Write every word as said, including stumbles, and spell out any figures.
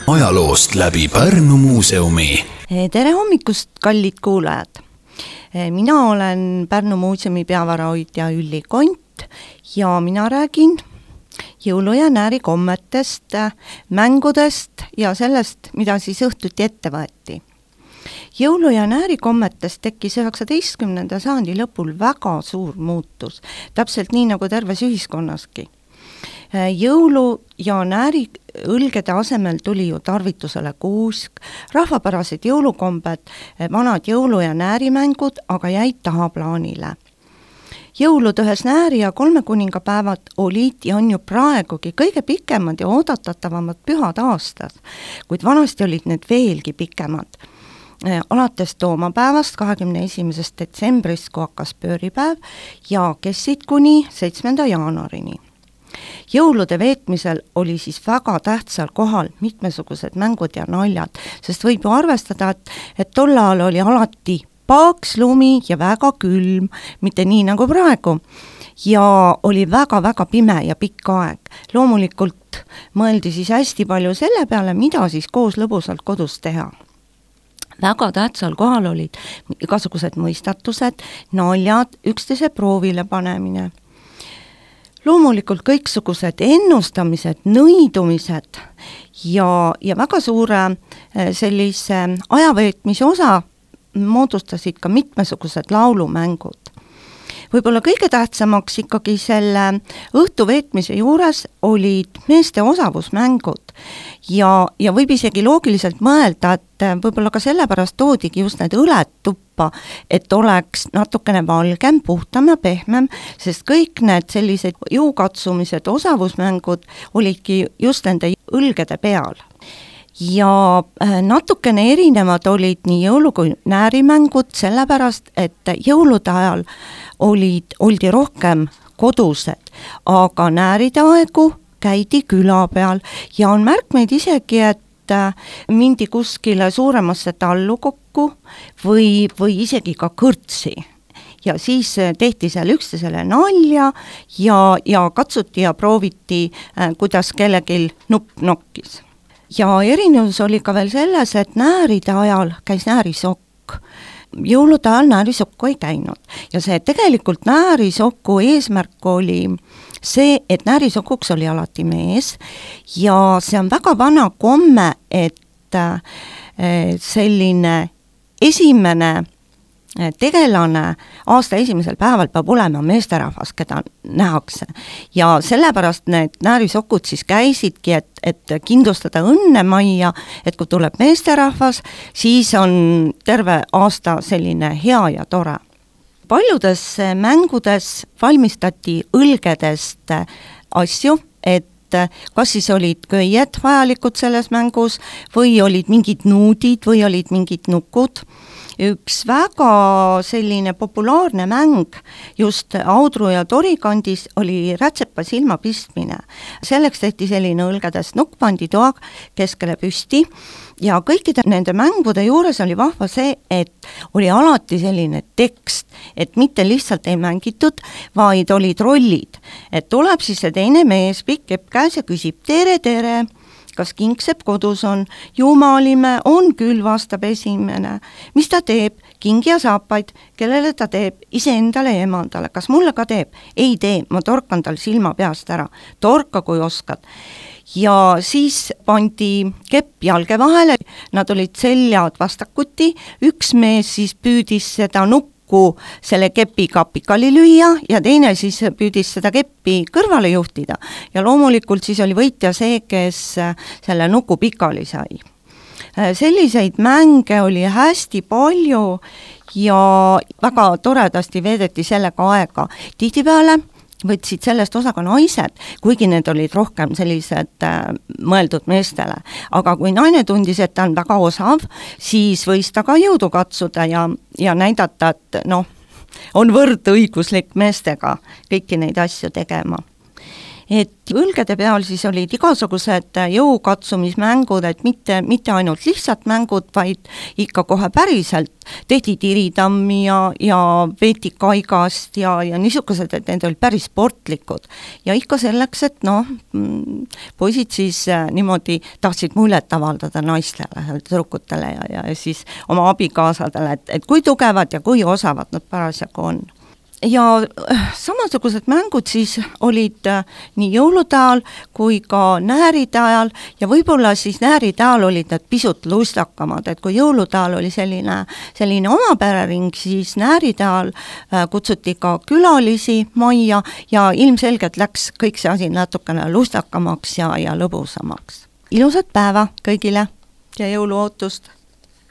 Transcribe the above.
ajaloost läbi Pärnu muuseumi. Tere hommikust, kallid kuulajad! Mina olen Pärnu muuseumi peavarahoidja Ülli Kont ja mina räägin jõulu- ja näärikommetest, mängudest ja sellest, mida siis õhtuti ette võeti. Jõulu- ja näärikommetest tekkis üheksateistkümnenda sajandi lõpul väga suur muutus, täpselt nii nagu terves ühiskonnaski. Jõulu- ja nääri õlgede asemel tuli ju tarvitusele kuusk, rahvapärased jõulukombed, vanad jõulu- ja näärimängud aga jäid tahaplaanile. Jõulud ühes nääri ja kolme kuningapäevad olid ja on ju praegugi kõige pikemad ja oodatatavamad pühad aastas, kuid vanasti olid need veelgi pikemad. Alates toomapäevast kahekümne esimesest detsembrist, kui hakkas pööripäev ja kestsid kuni seitsmenda jaanuarini. Jõulude veetmisel oli siis väga tähtsal kohal mitmesugused mängud ja naljad, sest võib ju arvestada, et, et tol ajal oli alati paaks lumi ja väga külm, mitte nii nagu praegu, ja oli väga-väga pime ja pikk aeg. Loomulikult mõeldi siis hästi palju selle peale, mida siis koos lõbusalt kodus teha. Väga tähtsal kohal olid igasugused mõistatused, naljad, üksteise proovile panemine. Loomulikult kõiksugused ennustamised, nõidumised ja, ja väga suure sellise ajaveetmise osa moodustasid ka mitmesugused laulumängud. Võib-olla kõige tähtsamaks ikkagi selle õhtu veetmise juures olid meeste osavusmängud ja, ja võib isegi loogiliselt mõelda, et võib-olla ka sellepärast toodigi just need õled tuppa, et oleks natukene valgem, puhtam ja pehmem, sest kõik need sellised jõukatsumised, osavusmängud olidki just nende õlgede peal. Ja natukene erinevad olid nii jõulu- kui näärimängud sellepärast, et jõulude ajal olid, oldi rohkem kodused, aga nääride aegu käidi küla peal ja on märkmeid isegi, et mindi kuskile suuremasse tallu kokku või, või isegi ka kõrtsi. Ja siis tehti seal üksteisele nalja ja, ja katsuti ja prooviti, kuidas kellelgi nupp nokkis. Ja erinevus oli ka veel selles, et nääride ajal käis näärisokk. Jõulude ajal näärisokku ei käinud. Ja see tegelikult näärisokku eesmärk oli see, et näärisokuks oli alati mees ja see on väga vana komme, et selline esimene tegelane aasta esimesel päeval peab olema meesterahvas, keda nähakse. Ja sellepärast need näärisokud siis käisidki, et, et kindlustada õnne majja, et kui tuleb meesterahvas, siis on terve aasta selline hea ja tore. Paljudes mängudes valmistati õlgedest asju, et kas siis olid köied vajalikud selles mängus või olid mingid nuudid või olid mingid nukud. Üks väga selline populaarne mäng just Audru ja Tori kandis oli rätsepa silma pistmine. Selleks tehti selline õlgedest nukk, pandi toa keskele püsti ja kõikide nende mängude juures oli vahva see, et oli alati selline tekst, et mitte lihtsalt ei mängitud, vaid olid rollid. Et tuleb siis see teine mees, pikk kepp käes ja küsib tere, tere, kas kingsepp kodus on, jumalime, on küll, vastab esimene. Mis ta teeb? Kingi ja saapaid, kellele ta teeb? Iseendale ja emandale. Kas mulle ka teeb? Ei tee, ma torkan tal silma peast ära. Torka, kui oskad. Ja siis pandi kepp jalge vahele, nad olid seljad vastakuti, üks mees siis püüdis seda nukku selle kepiga pikali lüüa ja teine siis püüdis seda keppi kõrvale juhtida ja loomulikult siis oli võitja see, kes selle nuku pikali sai. Selliseid mänge oli hästi palju ja väga toredasti veedeti sellega aega. Tihtipeale võtsid sellest osa ka naised, kuigi need olid rohkem sellised äh, mõeldud meestele. Aga kui naine tundis, et ta on väga osav, siis võis ta ka jõudu katsuda ja, ja näidata, et noh, on võrdõiguslik meestega kõiki neid asju tegema. et õlgede peal siis olid igasugused jõukatsumismängud, et mitte, mitte ainult lihtsalt mängud, vaid ikka kohe päriselt tehti tiritammi ja, ja veeti kaigast ja, ja niisugused, et need olid päris sportlikud. Ja ikka selleks, et noh, poisid siis niimoodi tahtsid muljet avaldada naistele, tüdrukutele ja, ja siis oma abikaasadele, et, et kui tugevad ja kui osavad nad parasjagu on. Ja samasugused mängud siis olid nii jõulude ajal kui ka nääride ajal ja võib-olla siis nääride ajal olid need pisut lustakamad, et kui jõulude ajal oli selline, selline oma perering, siis nääride ajal kutsuti ka külalisi majja ja ilmselgelt läks kõik see asi natukene lustakamaks ja, ja lõbusamaks. Ilusat päeva kõigile ja jõuluootust!